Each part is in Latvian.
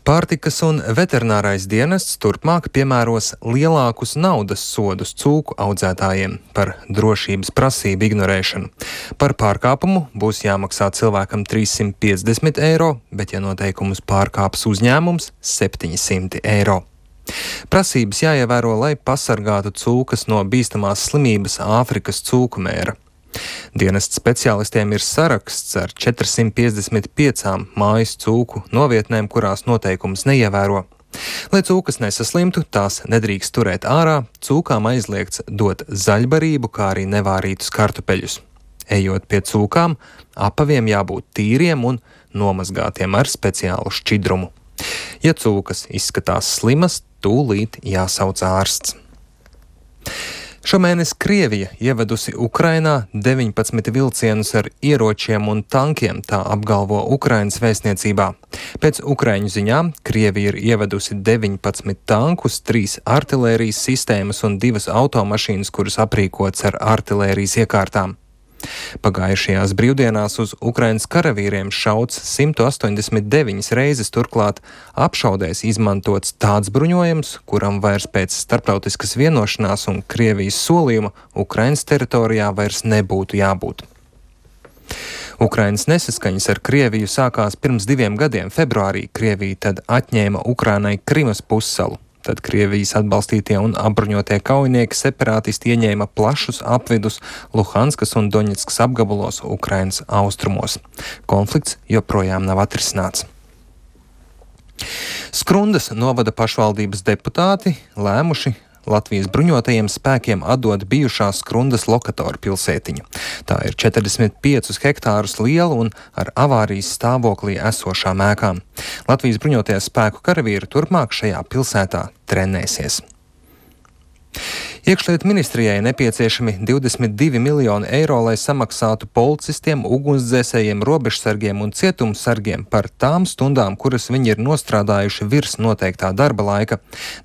Pārtikas un veterinārais dienests turpmāk piemēros lielākus naudas sodus cūku audzētājiem par drošības prasību ignorēšanu. Par pārkāpumu būs jāmaksā cilvēkam 350 eiro, bet ja noteikumus pārkāps uzņēmums – 700 eiro. Prasības jāievēro, lai pasargātu cūkas no bīstamās slimības Āfrikas cūku mēra. Dienesta speciālistiem ir saraksts ar 455 mājas cūku novietnēm, kurās noteikumus neievēro. Lai cūkas nesaslimtu, tās nedrīkst turēt ārā, cūkām aizliegts dot zaļbarību, kā arī nevārītus kartupeļus. Ejot pie cūkām, apaviem jābūt tīriem un nomazgātiem ar speciālu šķidrumu. Ja cūkas izskatās slimas, tūlīt jāsauc ārsts. Šomēnes Krievija ievedusi Ukrainā 19 vilcienus ar ieročiem un tankiem, tā apgalvo Ukrainas vēstniecībā. Pēc ukraiņu ziņām Krievija ir ievedusi 19 tankus, 3 artilērijas sistēmas un 2 automašīnas, kuras aprīkots ar artilērijas iekārtām. Pagājušajās brīvdienās uz Ukrainas karavīriem šauts 189 reizes, turklāt apšaudēs izmantots tāds bruņojums, kuram vairs pēc starptautiskas vienošanās un Krievijas solījuma Ukrainas teritorijā vairs nebūtu jābūt. Ukrainas nesaskaņas ar Krieviju sākās pirms 2 gadiem februārī. Krievija tad atņēma Ukrainai Krimas pussalu. Tad Krievijas atbalstītie un apbruņotie kaujinieki separātisti ieņēma plašus apvidus Luhanskas un Doņetskas apgabalos Ukrainas austrumos. Konflikts joprojām nav atrisināts. Skrundas novada pašvaldības deputāti lēmuši Latvijas bruņotajiem spēkiem atdot bijušās Skrundas lokatoru pilsētiņu. Tā ir 45 hektārus liela un ar avārijas stāvoklī esošām ēkām. Latvijas bruņotie spēku karavīri turpmāk šajā pilsētā trenēsies. Iekšlietu ministrijai nepieciešami 22 miljoni eiro, lai samaksātu policistiem, ugunsdzēsējiem, robežsargiem un cietumsargiem par tām stundām, kuras viņi ir nostrādājuši virs noteiktā darba laika.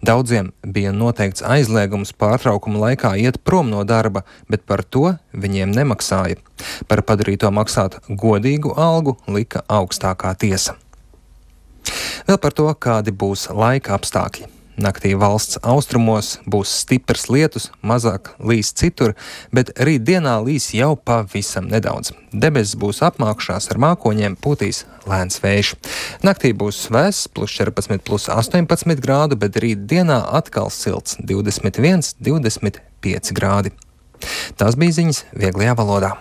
Daudziem bija noteikts aizliegums pārtraukuma laikā iet prom no darba, bet par to viņiem nemaksāja. Par padarīto maksāt godīgu algu lika augstākā tiesa. Vēl par to, kādi būs laika apstākļi. Naktī valsts austrumos būs stiprs lietus, mazāk līs citur, bet rītdienā līs jau pavisam nedaudz. Debesis būs apmākušās ar mākoņiem, pūtīs lēns vējš. Naktī būs vēss, +14, +18 grādu, bet rītdienā atkal silts 21, 25 grādi. Tās bija ziņas vieglajā valodā.